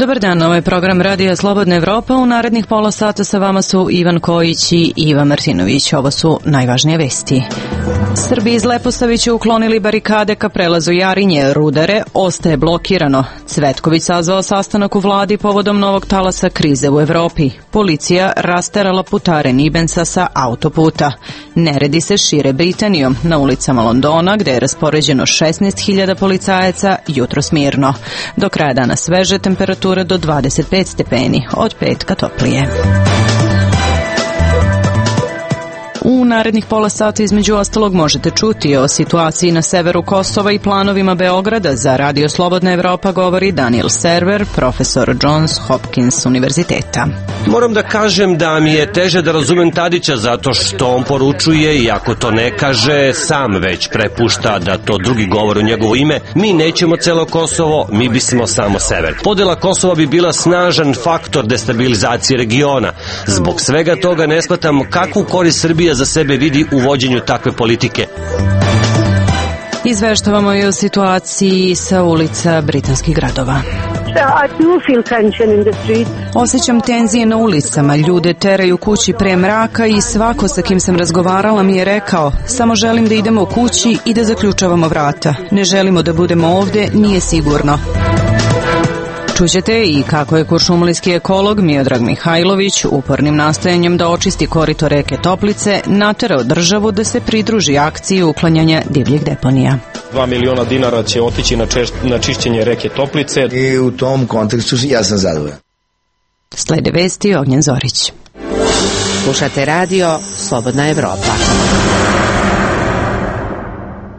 Dobar dan, ovo je program Radija Slobodna Evropa. U narednih pola sata sa vama su Ivan Kojić i Iva Martinović. Ovo su najvažnije vesti. Srbi iz Leposavića uklonili barikade ka prelazu Jarinje, Rudare ostaje blokirano. Cvetković sazvao sastanak u vladi povodom novog talasa krize u Evropi. Policija rasterala putare Nibensa sa autoputa. Neredi se šire Britanijom. Na ulicama Londona, gde je raspoređeno 16.000 policajaca, jutros mirno. Do kraja dana sveže, temperature do 25 stepeni, od petka toplije. U narednih pola sata između ostalog možete čuti o situaciji na severu Kosova i planovima Beograda. Za Radio Slobodna Evropa govori Daniel Server, profesor Johns Hopkins univerziteta. Moram da kažem da mi je teže da razumem Tadića zato što on poručuje i ako to ne kaže, sam već prepušta da to drugi govore u njegovo ime. Mi nećemo celo Kosovo, mi bismo samo sever. Podela Kosova bi bila snažan faktor destabilizacije regiona. Zbog svega toga ne shvatam kakvu korist Srbija za sebe vidi u vođenju takve politike. Izveštavamo i o situaciji sa ulica britanskih gradova. Osjećam tenzije na ulicama, ljude teraju kući pre mraka i svako sa kim sam razgovarala mi je rekao: samo želim da idemo kući i da zaključavamo vrata. Ne želimo da budemo ovde, nije sigurno. Čućete i kako je kuršumlijski ekolog Miodrag Mihajlović upornim nastojanjem da očisti korito reke Toplice naterao državu da se pridruži akciji uklanjanja divljih deponija. 2 miliona dinara će otići na čišćenje reke Toplice. I u tom kontekstu ja sam zadovoljan. Slede vesti, Ognjen Zorić. Slušate radio Slobodna Evropa.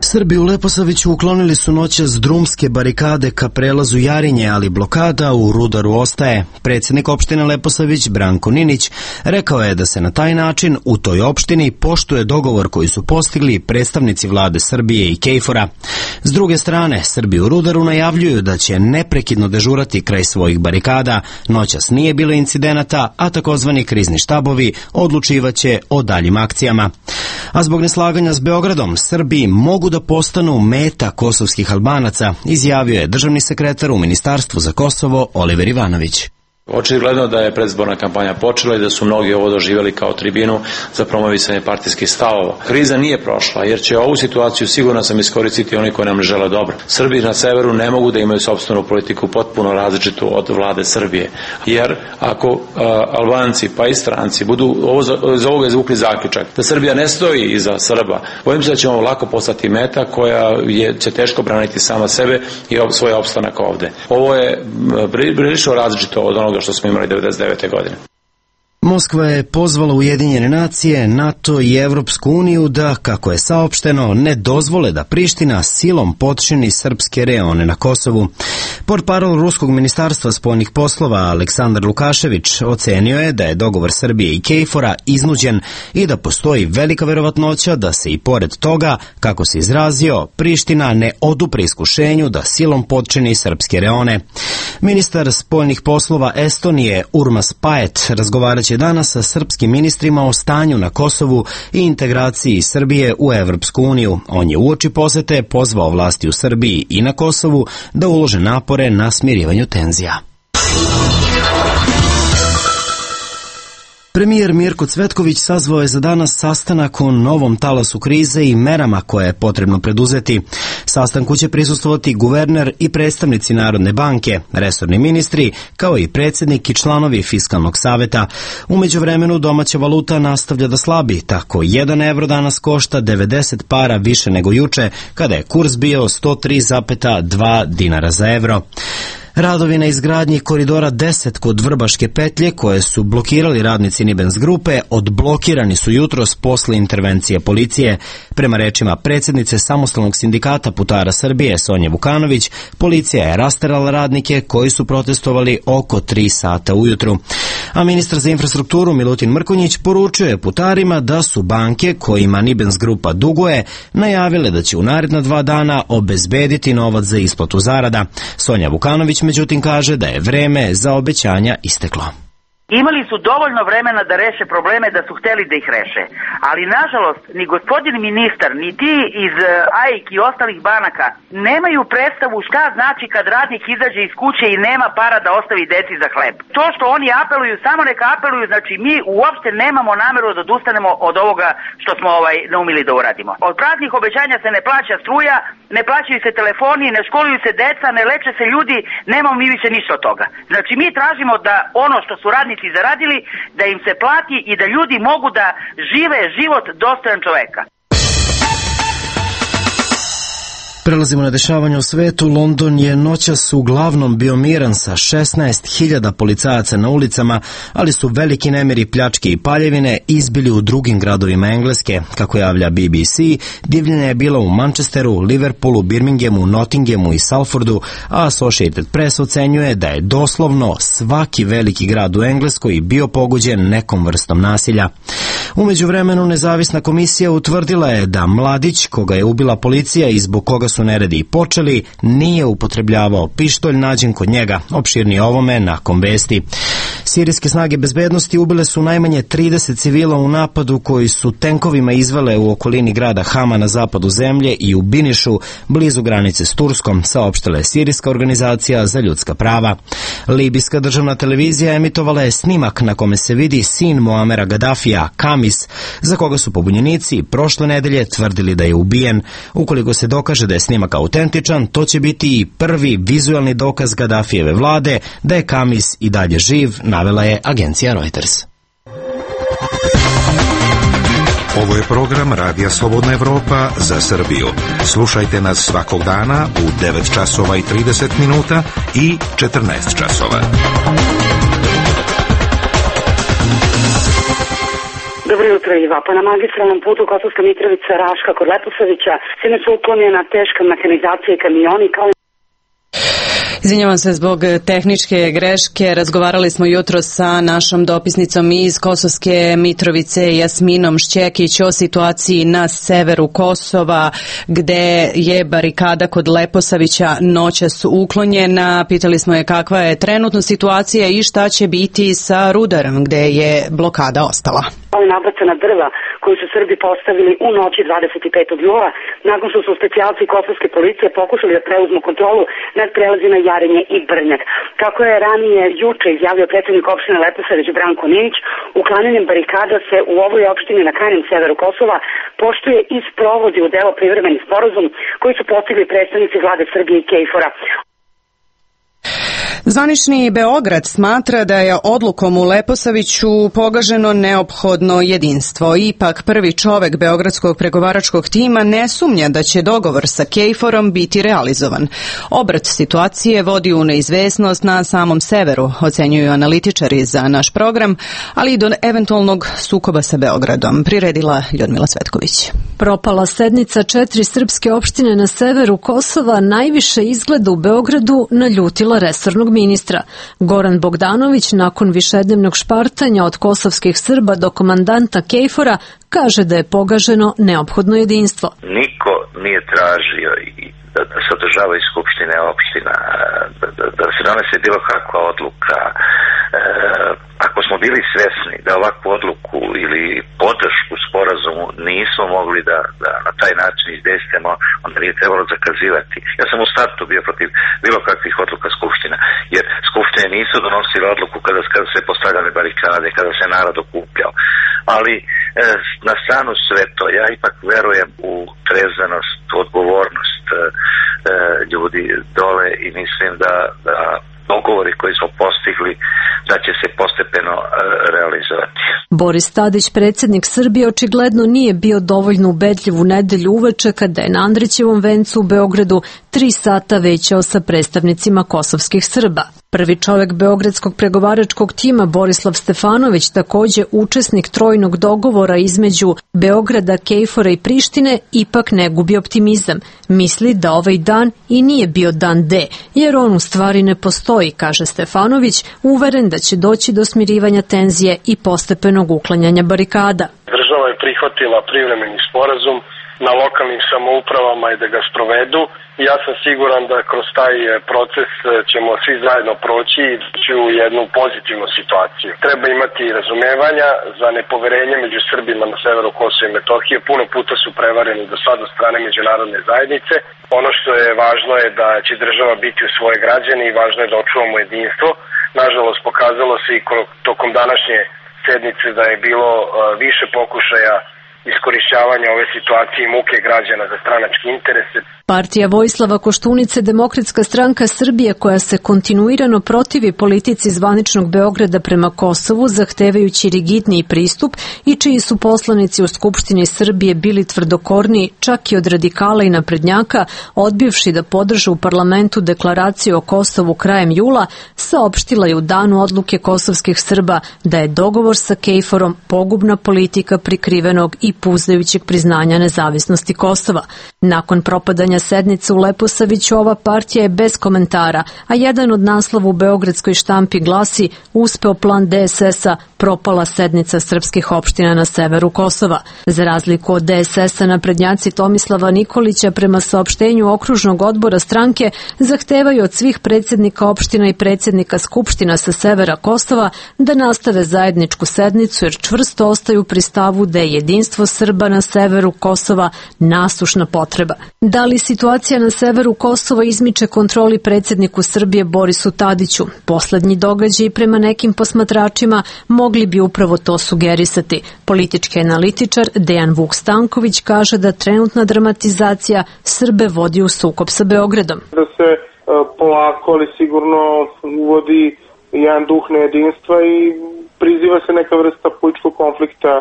Srbi u Leposaviću uklonili su noćas drumske barikade ka prelazu Jarinje, ali blokada u Rudaru ostaje. Predsjednik opštine Leposavić, Branko Ninić, rekao je da se na taj način u toj opštini poštuje dogovor koji su postigli predstavnici vlade Srbije i KFOR-a. S druge strane, Srbi u Rudaru najavljuju da će neprekidno dežurati kraj svojih barikada. Noćas nije bilo incidenata, a takozvani krizni štabovi odlučivaće o daljim akcijama. A zbog neslaganja s Beogradom, Srbi mogu da postanu meta kosovskih Albanaca, izjavio je državni sekretar u Ministarstvu za Kosovo Oliver Ivanović. Očigledno da je predizborna kampanja počela i da su mnogi ovo doživjeli kao tribinu za promovisanje partijskih stavova. Kriza nije prošla jer će ovu situaciju sigurno sam iskoristiti oni koji nam ne žele dobro. Srbi na severu ne mogu da imaju sopstvenu politiku potpuno različitu od vlade Srbije. Jer ako Albanci pa i stranci budu iz ovoga izvukli zaključak da Srbija ne stoji iza Srba, bojim se da ćemo lako postati meta koja će teško braniti sama sebe i svoj opstanak ovde. Ovo je prilično različito od onoga što smo imali 1999. godine. Moskva je pozvala Ujedinjene nacije, NATO i Evropsku uniju da, kako je saopšteno, ne dozvole da Priština silom potčini srpske reone na Kosovu. Portparol Ruskog ministarstva spoljnih poslova Aleksandar Lukašević ocenio je da je dogovor Srbije i KFOR-a iznuđen i da postoji velika verovatnoća da se i pored toga, kako se izrazio, Priština ne odupre iskušenju da silom potčini srpske reone. Ministar spoljnih poslova Estonije Urmas Paet razgovaraće danas sa srpskim ministrima o stanju na Kosovu i integraciji Srbije u Evropsku uniju. On je uoči posete pozvao vlasti u Srbiji i na Kosovu da ulože napore na smirivanju tenzija. Premijer Mirko Cvetković sazvao je za danas sastanak o novom talasu krize i merama koje je potrebno preduzeti. Sastanku će prisustvovati guverner i predstavnici Narodne banke, resorni ministri, kao i predsjednik i članovi Fiskalnog saveta. U međuvremenu domaća valuta nastavlja da slabi, tako 1 evro danas košta 90 para više nego juče, kada je kurs bio 103,2 dinara za evro. Radovi na izgradnji koridora 10 kod Vrbaške petlje, koje su blokirali radnici Nibens grupe, odblokirani su jutros posle intervencije policije. Prema rečima predsjednice Samostalnog sindikata putara Srbije Sonje Vukanović, policija je rasterala radnike koji su protestovali oko 3 sata ujutru. A ministar za infrastrukturu Milutin Mrkonjić poručio je putarima da su banke kojima Nibens grupa duguje najavile da će u naredna 2 dana obezbediti novac za isplatu zarada. Sonja Vukanović međutim kaže da je vreme za obećanja isteklo. Imali su dovoljno vremena da reše probleme da su hteli da ih reše. Ali nažalost, ni gospodin ministar, ni ti iz AIK i ostalih banaka nemaju predstavu šta znači kad radnik izađe iz kuće i nema para da ostavi deci za hleb. To što oni apeluju, samo neka apeluju, znači mi uopšte nemamo nameru da odustanemo od ovoga što smo naumili da uradimo. Od praznih obećanja se ne plaća struja, ne plaćaju se telefoni, ne školuju se deca, ne leče se ljudi, nemamo mi više ništa od toga. Znači mi tražimo da ono što su radnici zaradili, da im se plati i da ljudi mogu da žive život dostojan čoveka. Prelazimo na dešavanje u svetu. London je noćas uglavnom bio miran sa 16.000 policajaca na ulicama, ali su veliki nemiri, pljačke i paljevine izbili u drugim gradovima Engleske. Kako javlja BBC, divljenje je bilo u Manchesteru, Liverpoolu, Birminghamu, Nottinghamu i Salfordu, a Associated Press ocenjuje da je doslovno svaki veliki grad u Engleskoj bio pogođen nekom vrstom nasilja. U međuvremenu nezavisna komisija utvrdila je da mladić koga je ubila policija i zbog koga su neredi i počeli, nije upotrebljavao pištolj nađen kod njega. Opširnije ovome nakon vesti. Sirijske snage bezbednosti ubile su najmanje 30 civila u napadu koji su tenkovima izvele u okolini grada Hama na zapadu zemlje i u Binišu, blizu granice s Turskom, saopštila je Sirijska organizacija za ljudska prava. Libijska državna televizija emitovala je snimak na kome se vidi sin Muamera Gaddafija, Kamis, za koga su pobunjenici prošle nedelje tvrdili da je ubijen. Ukoliko se dokaže da je snimak autentičan, to će biti i prvi vizualni dokaz Gaddafijeve vlade da je Kamis i dalje živ, navela je agencija Reuters. Ovo je program Radija Slobodna Evropa za Srbiju. Slušajte nas svakog dana u 9 časova i 30 minuta i 14 časova. Dobro jutro, Iva. Pa na magistralnom putu Kosovska Mitrovica-Raška kod Leposavića sinoć su uklonjena teška mehanizacija i kamioni kao. Izvinjavam se zbog tehničke greške. Razgovarali smo jutro sa našom dopisnicom iz Kosovske Mitrovice, Jasminom Šćekić, o situaciji na severu Kosova, gde je barikada kod Leposavića noćas uklonjena. Pitali smo je kakva je trenutno situacija i šta će biti sa Rudarom, gde je blokada ostala. Nabacana drva koju su Srbi postavili u noći 25. jula, nakon što su specijalci kosovske policije pokušali da preuzmu kontrolu nad prelazima Jarinje i Brnjak. Kako je ranije juče izjavio predsjednik opštine Leposavić Branko Ninić, uklanjanjem barikada se u ovoj opštini na krajnjem severu Kosova poštuje i sprovodi u delo privremeni sporazum koji su postigli predstavnici vlade Srbije i KFOR-a. Zvanični Beograd smatra da je odlukom u Leposaviću pogaženo neophodno jedinstvo. Ipak prvi čovek beogradskog pregovaračkog tima ne sumnja da će dogovor sa KFOR-om biti realizovan. Obrat situacije vodi u neizvesnost na samom severu, ocenjuju analitičari za naš program, ali i do eventualnog sukoba sa Beogradom, priredila Ljudmila Cvetković. Propala sednica 4 srpske opštine na severu Kosova najviše izgleda u Beogradu naljutila resornog ministra. Goran Bogdanović nakon višednevnog špartanja od kosovskih Srba do komandanta KFOR-a kaže da je pogaženo neophodno jedinstvo. Niko nije tražio da se održava iz Skupštine opština, da se donese bilo kakva odluka. Ako smo bili svesni da ovakvu odluku ili podršku sporazumu nismo mogli da na taj način izdejstvujemo, onda nije trebalo zakazivati. Ja sam u startu bio protiv bilo kakvih odluka Skupština, jer Skupštine nisu donosile odluku kada se postavljale barikade, kada se narod okupljao. Ali na stranu sve to, ja ipak verujem u trezvenost, u odgovornost ljudi dole i mislim da dogovori koji smo postigli da će se postepeno realizovati. Boris Tadić, predsjednik Srbije, očigledno nije bio dovoljno ubedljiv u nedelju uveče kada je na Andrićevom vencu u Beogradu 3 sata većao sa predstavnicima kosovskih Srba. Prvi čovek beogradskog pregovaračkog tima Borislav Stefanović, takođe učesnik trojnog dogovora između Beograda, KFOR-a i Prištine, ipak ne gubi optimizam. Misli da ovaj dan i nije bio dan D, jer on u stvari ne postoji, kaže Stefanović, uveren da će doći do smirivanja tenzije i postepenog uklanjanja barikada. Država je prihvatila privremeni sporazum na lokalnim samoupravama i da ga sprovedu. Ja sam siguran da kroz taj proces ćemo svi zajedno proći i doći u jednu pozitivnu situaciju. Treba imati razumevanja za nepoverenje među Srbima na severu Kosova i Metohije. Puno puta su prevareni do sada od strane međunarodne zajednice. Ono što je važno je da će država biti u svoje građane i važno je da očuvamo jedinstvo. Nažalost, pokazalo se i tokom današnje sednice da je bilo više pokušaja iskorišćavanja ove situacije i muke građana za stranačke interese. Partija Vojislava Koštunice, Demokratska stranka Srbije, koja se kontinuirano protivi politici zvaničnog Beograda prema Kosovu, zahtevajući rigidniji pristup i čiji su poslanici u Skupštini Srbije bili tvrdokorni, čak i od radikala i naprednjaka, odbivši da podrže u parlamentu deklaraciju o Kosovu krajem jula, saopštila je u danu odluke kosovskih Srba da je dogovor sa Kejforom pogubna politika prikrivenog i puzdajućeg priznanja nezavisnosti Kosova. Nakon propadanja sednice u Leposaviću, ova partija je bez komentara, a jedan od naslova u beogradskoj štampi glasi: uspeo plan DSS-a, propala sednica srpskih opština na severu Kosova. Za razliku od DSS-a, naprednjaci Tomislava Nikolića prema saopštenju okružnog odbora stranke zahtevaju od svih predsjednika opština i predsjednika skupština sa severa Kosova da nastave zajedničku sednicu, jer čvrsto ostaju pri stavu da je jedinstvo Srba na severu Kosova nasušna potreba. Da li situacija na severu Kosova izmiče kontroli predsjedniku Srbije Borisu Tadiću? Poslednji događaj prema nekim posmatračima mogli bi upravo to sugerisati. Politički analitičar Dejan Vuk Stanković kaže da trenutna dramatizacija Srbe vodi u sukob sa Beogradom. Da se polako, ali sigurno uvodi jedan duh nejedinstva i priziva se neka vrsta političkog konflikta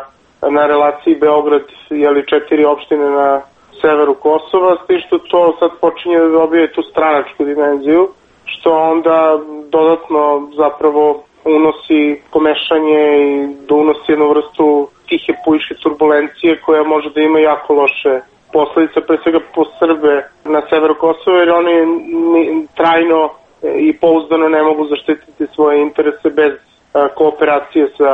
na relaciji Beograd, jeli 4 opštine na severu Kosova, s tim što to sad počinje da dobije tu stranačku dimenziju, što onda dodatno zapravo unosi pomešanje i da unosi jednu vrstu tihe političke turbulencije koja može da ima jako loše posledice, pre svega po Srbe na severu Kosova, jer oni trajno i pouzdano ne mogu zaštititi svoje interese bez kooperacije sa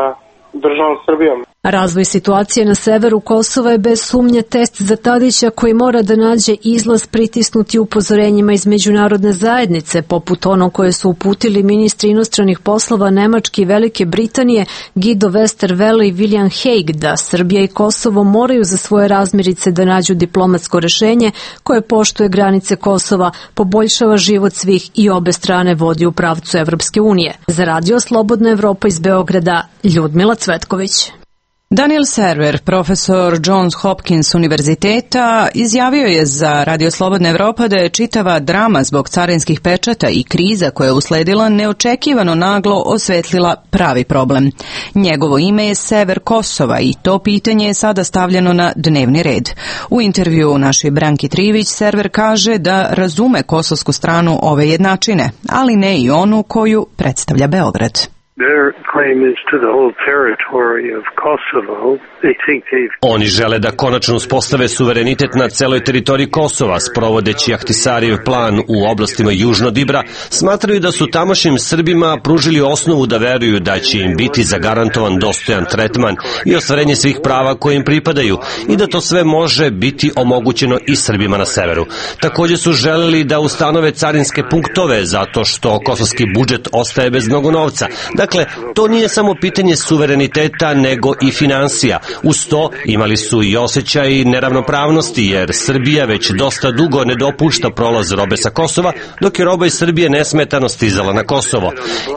državom Srbijom. Razvoj situacije na severu Kosova je bez sumnje test za Tadića, koji mora da nađe izlaz pritisnuti upozorenjima iz međunarodne zajednice, poput ono koje su uputili ministri inostranih poslova Nemačke i Velike Britanije Guido Westerwelle i William Hague, da Srbija i Kosovo moraju za svoje razmirice da nađu diplomatsko rešenje koje poštuje granice Kosova, poboljšava život svih i obe strane vodi u pravcu Evropske unije. Za Radio Slobodna Evropa iz Beograda, Ljudmila Cvetković. Daniel Server, profesor Johns Hopkins univerziteta, izjavio je za Radio Slobodna Evropa da je čitava drama zbog carinskih pečata i kriza koja je usledila neočekivano naglo osvetlila pravi problem. Njegovo ime je sever Kosova i to pitanje je sada stavljeno na dnevni red. U intervju našoj Branki Trivić, Server kaže da razume kosovsku stranu ove jednačine, ali ne i onu koju predstavlja Beograd. Oni žele da konačno uspostave suverenitet na celoj teritoriji Kosova, sprovodeći Ahtisarijev plan u oblastima južno od Ibra. Smatraju da su tamošnjim Srbima pružili osnovu da veruju da će im biti zagarantovan dostojan tretman i ostvarenje svih prava koje im pripadaju i da to sve može biti omogućeno i Srbima na severu. Takođe su želeli da ustanove carinske punktove zato što kosovski budžet ostaje bez mnogo novca. Dakle, to nije samo pitanje suvereniteta, nego i finansija. Uz to imali su i osjećaj neravnopravnosti, jer Srbija već dosta dugo ne dopušta prolaz robe sa Kosova, dok je roba iz Srbije nesmetano stizala na Kosovo.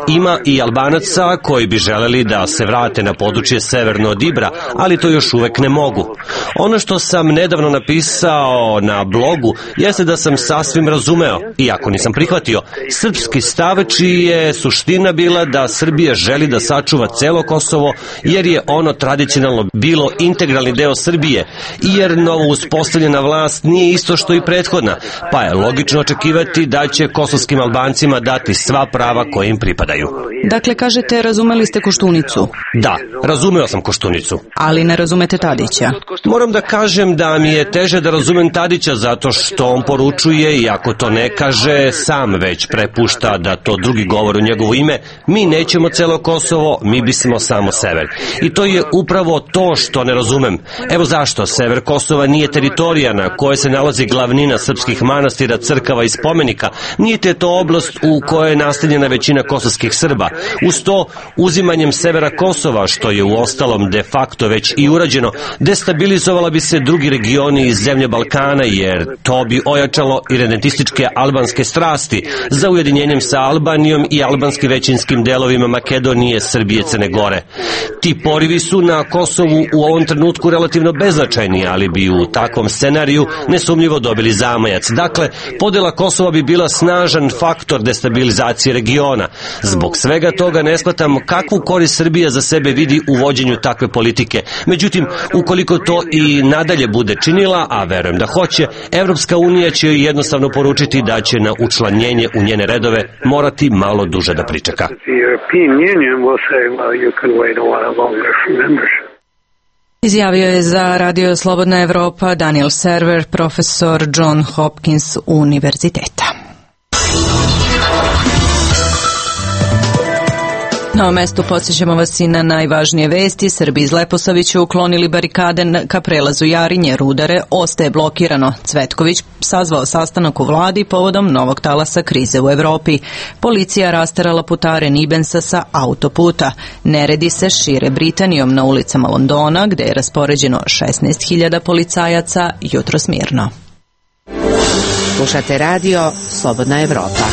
Ima i Albanaca koji bi želeli da se vrate na područje severno od Ibra, ali to još uvek ne mogu. Ono što sam nedavno napisao na blogu jeste da sam sasvim razumeo, iako nisam prihvatio, srpski stav čiji je suština bila da Srbija želi da sačuva celo Kosovo, jer je ono tradicionalno bilo integralni deo Srbije i jer novo uspostavljena vlast nije isto što i prethodna, pa je logično očekivati da će kosovskim Albancima dati sva prava koje im pripadaju. Dakle, kažete, razumeli ste Koštunicu? Da, razumeo sam Koštunicu. Ali ne razumete Tadića? Moram da kažem da mi je teže da razumem Tadića zato što on poručuje, i ako to ne kaže, sam već prepušta da to drugi govore u njegovo ime. Mi nećemo nećemo celo Kosovo, mi bismo samo sever. I to je upravo to što ne razumem. Evo zašto. Sever Kosova nije teritorija na kojoj se nalazi glavnina srpskih manastira, crkava i spomenika, niti je to oblast u kojoj je nastanjena većina kosovskih Srba. Uz to, uzimanjem severa Kosova, što je u ostalom de facto već i urađeno, destabilizovala bi se drugi regioni iz zemlje Balkana, jer to bi ojačalo irredentističke albanske strasti za ujedinjenjem sa Albanijom i albanski većinskim delovima Makedonije, Srbije, Crne Gore. Ti porivi su na Kosovu u ovom trenutku relativno beznačajni, ali bi u takvom scenariju nesumnjivo dobili zamajac. Dakle, podela Kosova bi bila snažan faktor destabilizacije regiona. Zbog svega toga ne shvatam kakvu korist Srbija za sebe vidi u vođenju takve politike. Međutim, ukoliko to i nadalje bude činila, a verujem da hoće, Evropska unija će joj jednostavno poručiti da će na učlanjenje u njene redove morati malo duže da pričeka. Izjavio je za Radio Slobodna Evropa Daniel Server, profesor John Hopkins univerziteta. Na ovom mestu podsjećamo vas i na najvažnije vesti. Srbi iz Leposavića uklonili barikade ka prelazu Jarinje, Rudare ostaje blokirano. Cvetković sazvao sastanak u vladi povodom novog talasa krize u Evropi. Policija rasterala putare Nibensa sa autoputa. Neredi se šire Britanijom na ulicama Londona, gde je raspoređeno 16.000 policajaca jutros mirno. Slušate radio Slobodna Evropa.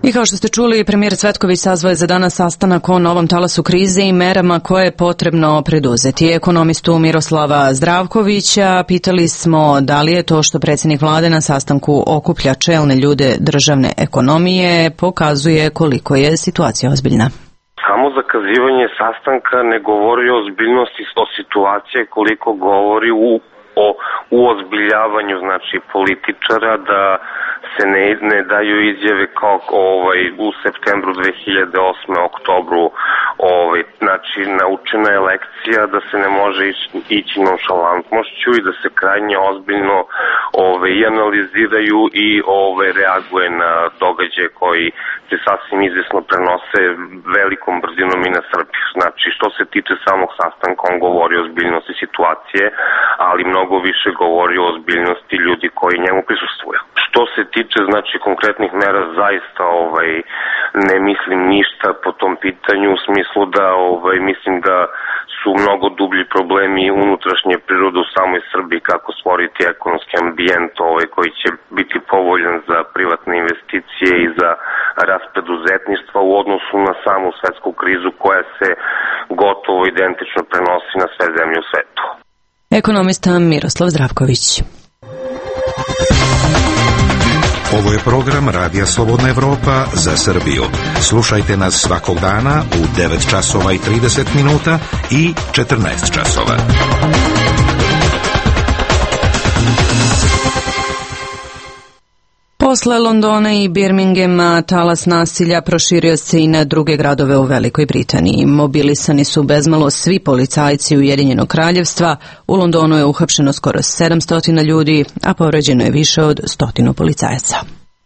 I kao što ste čuli, premijer Cvetković sazvao je za danas sastanak o novom talasu krize i merama koje je potrebno preduzeti. Ekonomistu Miroslava Zdravkovića pitali smo da li je to što predsjednik vlade na sastanku okuplja čelne ljude državne ekonomije pokazuje koliko je situacija ozbiljna. Samo zakazivanje sastanka ne govori o ozbiljnosti situacije, koliko govori u ozbiljavanju, znači, političara, da se ne daju izjave kao u septembru 2008. oktobru. Znači, naučena je lekcija da se ne može ići nonšalantnošću i da se krajnje ozbiljno i analiziraju i reaguje na događaje koji se sasvim izvjesno prenose velikom brzinom i na Srbiju. Znači, što se tiče samog sastanka, on govori o ozbiljnosti situacije, ali mnogo više govori o ozbiljnosti ljudi koji njemu prisustvuju. Što se tiče, znači, konkretnih mera, zaista ne mislim ništa po tom pitanju, u smislu da mislim da su mnogo dublji problemi unutrašnje prirode u samoj Srbiji, kako stvoriti ekonomski ambijent koji će biti povoljan za privatne investicije i za rast preduzetništva u odnosu na samu svetsku krizu koja se gotovo identično prenosi na sve zemlje u svetu. Ekonomista Miroslav Zdravković. Ovo je program Radija Slobodna Evropa za Srbiju. Slušajte nas svakog dana u 9 časova i 30 minuta i 14 časova. Posle Londona i Birminghama talas nasilja proširio se i na druge gradove u Velikoj Britaniji. Mobilisani su bezmalo svi policajci Ujedinjenog kraljevstva. U Londonu je uhapšeno skoro 700 ljudi, a povređeno je više od 100 policajaca.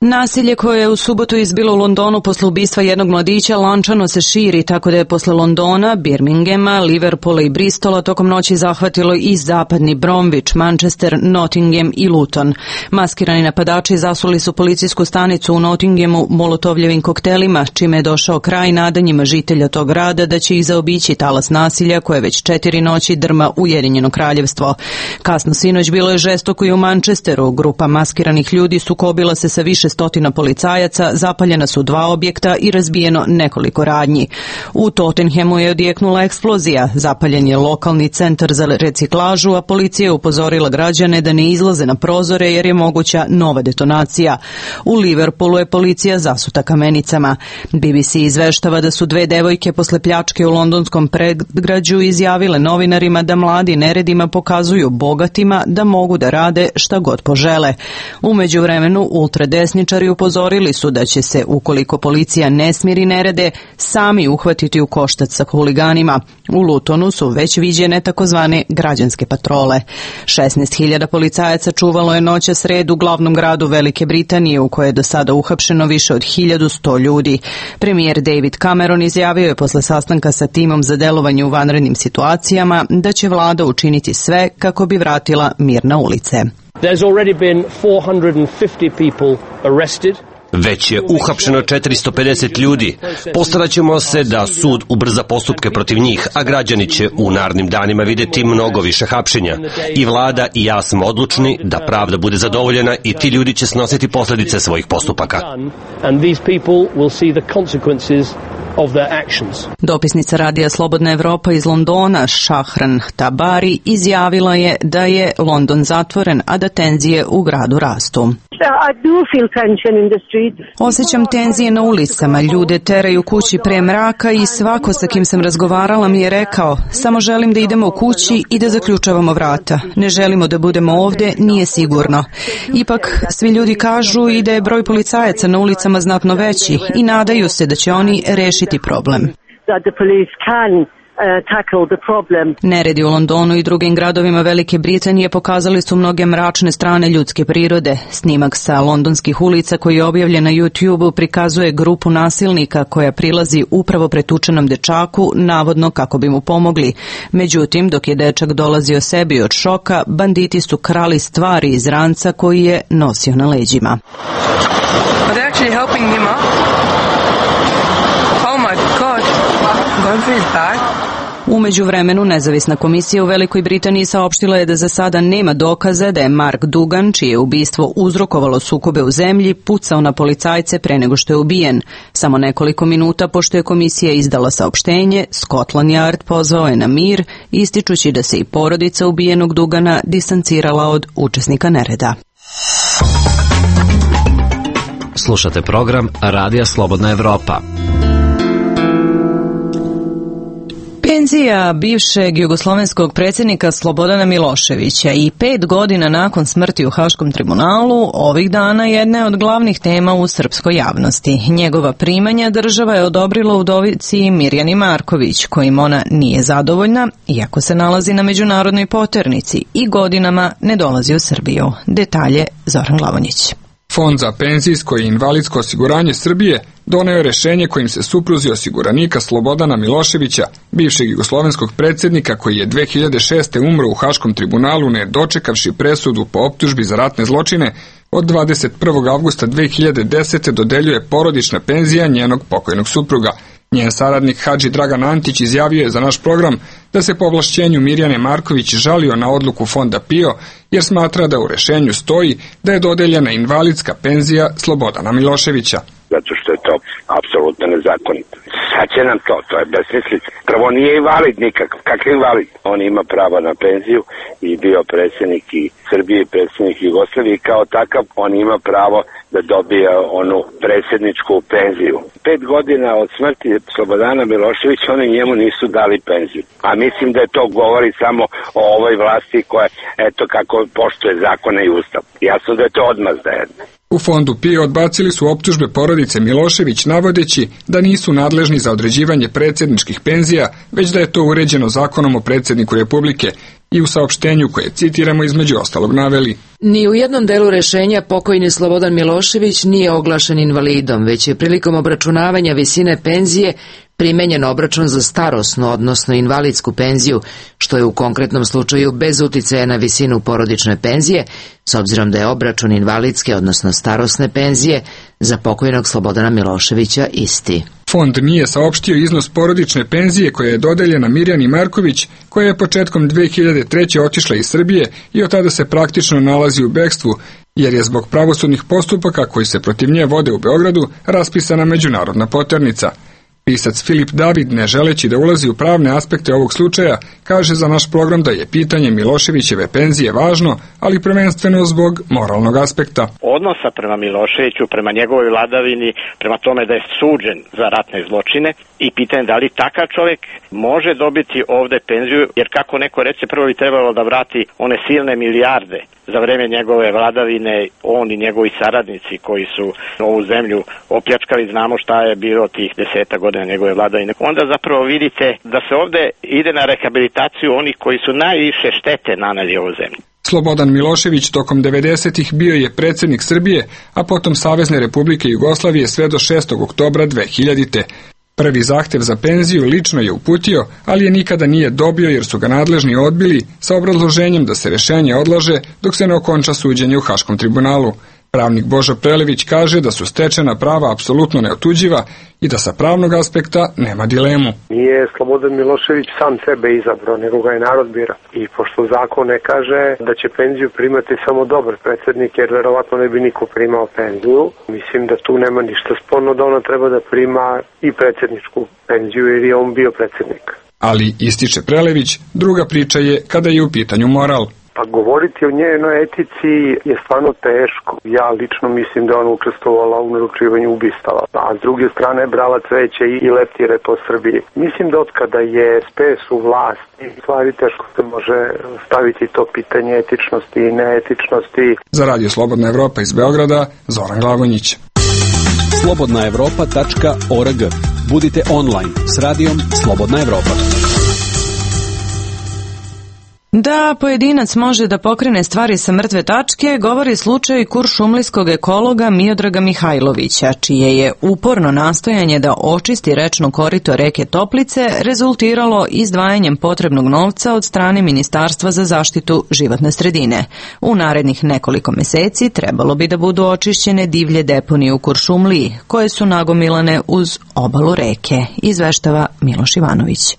Nasilje koje je u subotu izbilo u Londonu posle ubistva jednog mladića lančano se širi, tako da je posle Londona, Birminghama, Liverpoola i Bristola tokom noći zahvatilo i zapadni Bromwich, Manchester, Nottingham i Luton. Maskirani napadači zasuli su policijsku stanicu u Nottinghamu molotovljevim koktelima, čime je došao kraj nadanjima žitelja tog grada da će ih zaobići talas nasilja koje već 4 noći drma Ujedinjeno kraljevstvo. Kasno sinoć bilo je žestoko i u Manchesteru. Grupa maskiranih ljudi sukobila se sa više stotina policajaca, zapaljena su 2 objekta i razbijeno nekoliko radnji. U Tottenhamu je odjeknula eksplozija, zapaljen je lokalni centar za reciklažu, a policija je upozorila građane da ne izlaze na prozore jer je moguća nova detonacija. U Liverpoolu je policija zasuta kamenicama. BBC izveštava da su 2 devojke posle pljačke u londonskom predgrađu izjavile novinarima da mladi neredima pokazuju bogatima da mogu da rade šta god požele. U međuvremenu ultradesni pirotehničari upozorili su da će se, ukoliko policija ne smiri nerede, sami uhvatiti u koštac sa huliganima. U Lutonu su već viđene takozvane građanske patrole. 16.000 policajaca čuvalo je noća sred u glavnom gradu Velike Britanije, u kojoj je do sada uhapšeno više od 1100 ljudi. Premijer David Cameron izjavio je posle sastanka sa timom za delovanje u vanrednim situacijama da će vlada učiniti sve kako bi vratila mir na ulice. There's already been 450 people arrested. Već je uhapšeno 450 ljudi. Postaraćemo se da sud ubrza postupke protiv njih, a građani će u narednim danima videti mnogo više hapšenja. I vlada i ja smo odlučni da pravda bude zadovoljena i ti ljudi će snositi posljedice svojih postupaka. Dopisnica Radija Slobodna Evropa iz Londona, Shahran Tabari, izjavila je da je London zatvoren, a da tenzije u gradu rastu. Osjećam tenzije na ulicama, ljude teraju kući pre mraka i svako sa kim sam razgovarala mi je rekao: samo želim da idemo u kući i da zaključavamo vrata. Ne želimo da budemo ovde, nije sigurno. Ipak, svi ljudi kažu i da je broj policajaca na ulicama znatno veći i nadaju se da će oni rešiti problem. Neredi u Londonu i drugim gradovima Velike Britanije pokazali su mnoge mračne strane ljudske prirode. Snimak sa londonskih ulica koji je objavljen na YouTube-u prikazuje grupu nasilnika koja prilazi upravo pretučenom dečaku, navodno kako bi mu pomogli. Međutim, dok je dečak dolazio sebi od šoka, banditi su krali stvari iz ranca koji je nosio na leđima. U međuvremenu, nezavisna komisija u Velikoj Britaniji saopštila je da za sada nema dokaza da je Mark Dugan, čije ubistvo uzrokovalo sukobe u zemlji, pucao na policajce pre nego što je ubijen. Samo nekoliko minuta pošto je komisija izdala saopštenje, Scotland Yard pozvao je na mir, ističući da se i porodica ubijenog Dugana distancirala od učesnika nereda. Slušate program Radija Slobodna Evropa. Penzija bivšeg jugoslovenskog predsjednika Slobodana Miloševića i 5 godina nakon smrti u Haškom tribunalu ovih dana jedna je od glavnih tema u srpskoj javnosti. Njegova primanja država je odobrila udovici Mirjani Marković, kojim ona nije zadovoljna, iako se nalazi na međunarodnoj poternici i godinama ne dolazi u Srbiju. Detalje Zoran Glavonjić. Fond za penzijsko i invalidsko osiguranje Srbije doneo je rešenje kojim se supruzi osiguranika Slobodana Miloševića, bivšeg jugoslovenskog predsjednika koji je 2006. umro u Haškom tribunalu ne dočekavši presudu po optužbi za ratne zločine, od 21. avgusta 2010. dodeljuje porodična penzija njenog pokojnog supruga. Njen saradnik Hadži Dragan Antić izjavio je za naš program da se po ovlašćenju Mirjane Marković žalio na odluku fonda PIO jer smatra da u rešenju stoji da je dodeljena invalidska penzija Slobodana Miloševića. Zato što je to apsolutno nezakonito. Sad će nam to je besmislica. Prvo nije invalid nikakav. Kakav invalid? On ima pravo na penziju i bio predsjednik i Srbije i predsjednik Jugoslavije i kao takav on ima pravo da dobije onu predsjedničku penziju. 5 godina od smrti Slobodana Miloševića oni njemu nisu dali penziju. A mislim da je to govori samo o ovoj vlasti koja, eto kako poštuje zakone i ustav. Jasno da je to odmazda jedna. U fondu PIO odbacili su optužbe porodice Milošević navodeći da nisu nadležni za određivanje predsjedničkih penzija, već da je to uređeno zakonom o predsjedniku Republike i u saopštenju koje citiramo između ostalog naveli. Ni u jednom delu rešenja pokojni Slobodan Milošević nije oglašen invalidom, već je prilikom obračunavanja visine penzije primenjen obračun za starosnu, odnosno invalidsku penziju, što je u konkretnom slučaju bez uticaja na visinu porodične penzije, s obzirom da je obračun invalidske, odnosno starosne penzije za pokojnog Slobodana Miloševića isti. Fond nije saopštio iznos porodične penzije koja je dodeljena Mirjani Marković, koja je početkom 2003. otišla iz Srbije i od tada se praktično nalazi u bekstvu, jer je zbog pravosudnih postupaka koji se protiv nje vode u Beogradu raspisana međunarodna poternica. Pisac Filip David, ne želeći da ulazi u pravne aspekte ovog slučaja, kaže za naš program da je pitanje Miloševićeve penzije važno, ali prvenstveno zbog moralnog aspekta. Odnosa prema Miloševiću, prema njegovoj vladavini, prema tome da je suđen za ratne zločine i pitanje da li takav čovjek može dobiti ovde penziju, jer kako neko reče, prvo bi trebalo da vrati one silne milijarde za vreme njegove vladavine on i njegovi saradnici koji su ovu zemlju opljačkali, znamo šta je bilo tih 10 godina njegove vladavine. Onda zapravo vidite da se ovde ide na rehabilitaciju onih koji su najviše štete naneli ovoj zemlji. Slobodan Milošević tokom 90-ih bio je predsjednik Srbije, a potom Savezne Republike Jugoslavije sve do 6. oktobra 2000. Prvi zahtev za penziju lično je uputio, ali je nikada nije dobio jer su ga nadležni odbili sa obrazloženjem da se rešenje odlaže dok se ne okonča suđenje u Haškom tribunalu. Pravnik Božo Prelević kaže da su stečena prava apsolutno neotuđiva i da sa pravnog aspekta nema dilemu. Nije Slobodan Milošević sam sebe izabrao, nego ga je narod bira. I pošto zakon ne kaže da će penziju primati samo dobar predsjednik, jer verovatno ne bi niko primao penziju, mislim da tu nema ništa sporno da ona treba da prima i predsjedničku penziju jer je on bio predsjednik. Ali, ističe Prelević, druga priča je kada je u pitanju moral. Pa govoriti o njenoj etici je stvarno teško. Ja lično mislim da ona učestvovala u naručivanju ubistava, a s druge strane brala cveće i leptire po Srbiji. Mislim da od kada je SPS u vlasti, stvari teško se može staviti to pitanje etičnosti i neetičnosti. Za Radio Slobodna Evropa iz Beograda, Zoran Glavonjić. slobodnaevropa.org. Budite online s radijom Slobodna Evropa. Da pojedinac može da pokrene stvari sa mrtve tačke, govori slučaj kuršumlijskog ekologa Miodraga Mihajlovića, čije je uporno nastojanje da očisti rečno korito reke Toplice rezultiralo izdvajanjem potrebnog novca od strane Ministarstva za zaštitu životne sredine. U narednih nekoliko meseci trebalo bi da budu očišćene divlje deponije u Kuršumliji, koje su nagomilane uz obalu reke, izveštava Miloš Ivanović.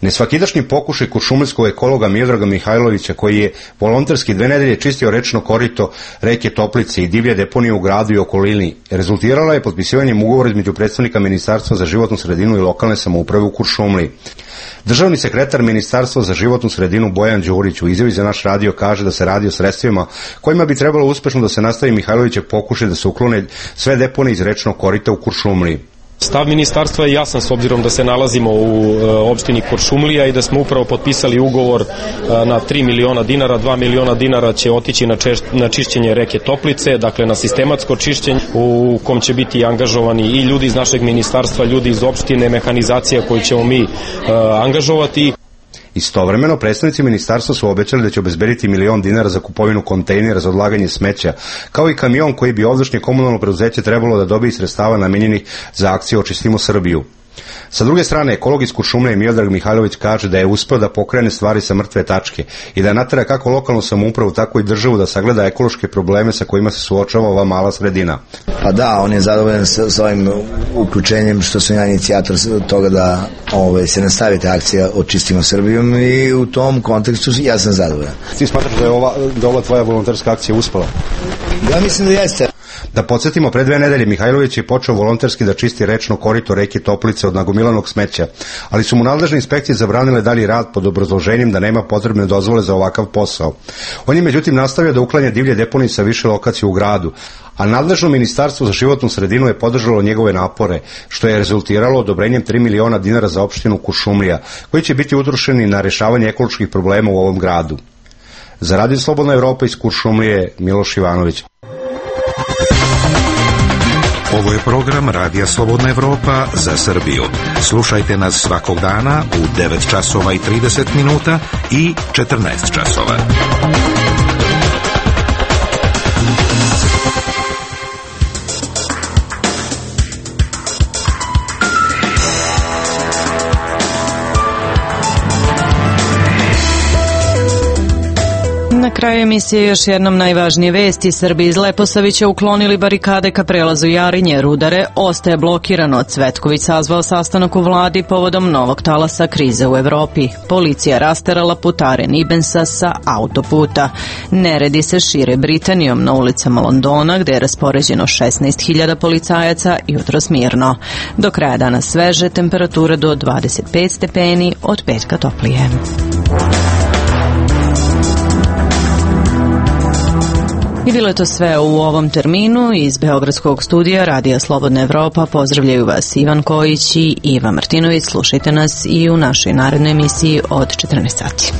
Nesvakidašnji pokušaj kuršumlijskog ekologa Miodraga Mihajlovića, koji je volonterski 2 nedelje čistio rečno korito reke Toplice i divlje deponije u gradu i okolini, rezultirala je potpisivanjem ugovora između predstavnika Ministarstva za životnu sredinu i lokalne samouprave u Kuršumliji. Državni sekretar Ministarstva za životnu sredinu Bojan Đurić u izjavi za naš radio kaže da se radi o sredstvima kojima bi trebalo uspešno da se nastavi Mihajlovićev pokušaj da se uklone sve deponije iz rečnog korita u Kuršumliji. Stav ministarstva je jasan s obzirom da se nalazimo u opštini Kuršumlija i da smo upravo potpisali ugovor na 3 miliona dinara. 2 miliona dinara će otići na čišćenje reke Toplice, dakle na sistematsko čišćenje u kom će biti angažovani i ljudi iz našeg ministarstva, ljudi iz opštine, mehanizacija koju ćemo mi angažovati. Istovremeno, predstavnici ministarstva su obećali da će obezbediti 1 milion dinara za kupovinu kontejnera za odlaganje smeća, kao i kamion koji bi ovdašnje komunalno preduzeće trebalo da dobije sredstava namenjenih za akciju Očistimo Srbiju. Sa druge strane, ekolog iz Kuršumlije Miodrag Mihajlović kaže da je uspeo da pokrene stvari sa mrtve tačke i da natera kako lokalnu samoupravu, tako i državu da sagleda ekološke probleme sa kojima se suočava ova mala sredina. Pa da, on je zadovoljan sa ovim uključenjem što sam ja inicijator toga da se nastavi ta akcija Očistimo Srbijom i u tom kontekstu ja sam zadovoljan. Ti smatraš da ova tvoja volonterska akcija uspela? Ja mislim da jeste. Da podsjetimo, pre 2 nedelje Mihajlović je počeo volonterski da čisti rečno korito reke Toplice od nagomilanog smeća, ali su mu nadležne inspekcije zabranile dalji rad pod obrazloženjem da nema potrebne dozvole za ovakav posao. On je međutim nastavio da uklanja divlje deponije sa više lokacija u gradu, a nadležno Ministarstvo za životnu sredinu je podržalo njegove napore, što je rezultiralo odobrenjem 3 miliona dinara za opštinu Kuršumlija, koji će biti utrošeni na rešavanje ekoloških problema u ovom gradu. Za Radio Slobodna Evropa iz Kuršumlije, Miloš Ivanović. Ovo je program Radija Slobodna Evropa za Srbiju. Slušajte nas svakog dana u 9 časova i 30 minuta i 14 časova. Na kraju emisije još jednom najvažnije vesti. Srbi iz Leposavića uklonili barikade ka prelazu Jarinje. Rudare ostaje blokirano. Cvetković sazvao sastanak u vladi povodom novog talasa krize u Evropi. Policija rasterala putare Nibensa sa autoputa. Neredi se šire Britanijom na ulicama Londona, gde je raspoređeno 16.000 policajaca, jutros mirno. Do kraja dana sveže, temperature do 25 stepeni, od petka toplije. I bilo je to sve u ovom terminu. Iz Beogradskog studija Radija Slobodna Evropa pozdravljaju vas Ivan Kojić i Iva Martinović. Slušajte nas i u našoj narednoj emisiji od 14 sati.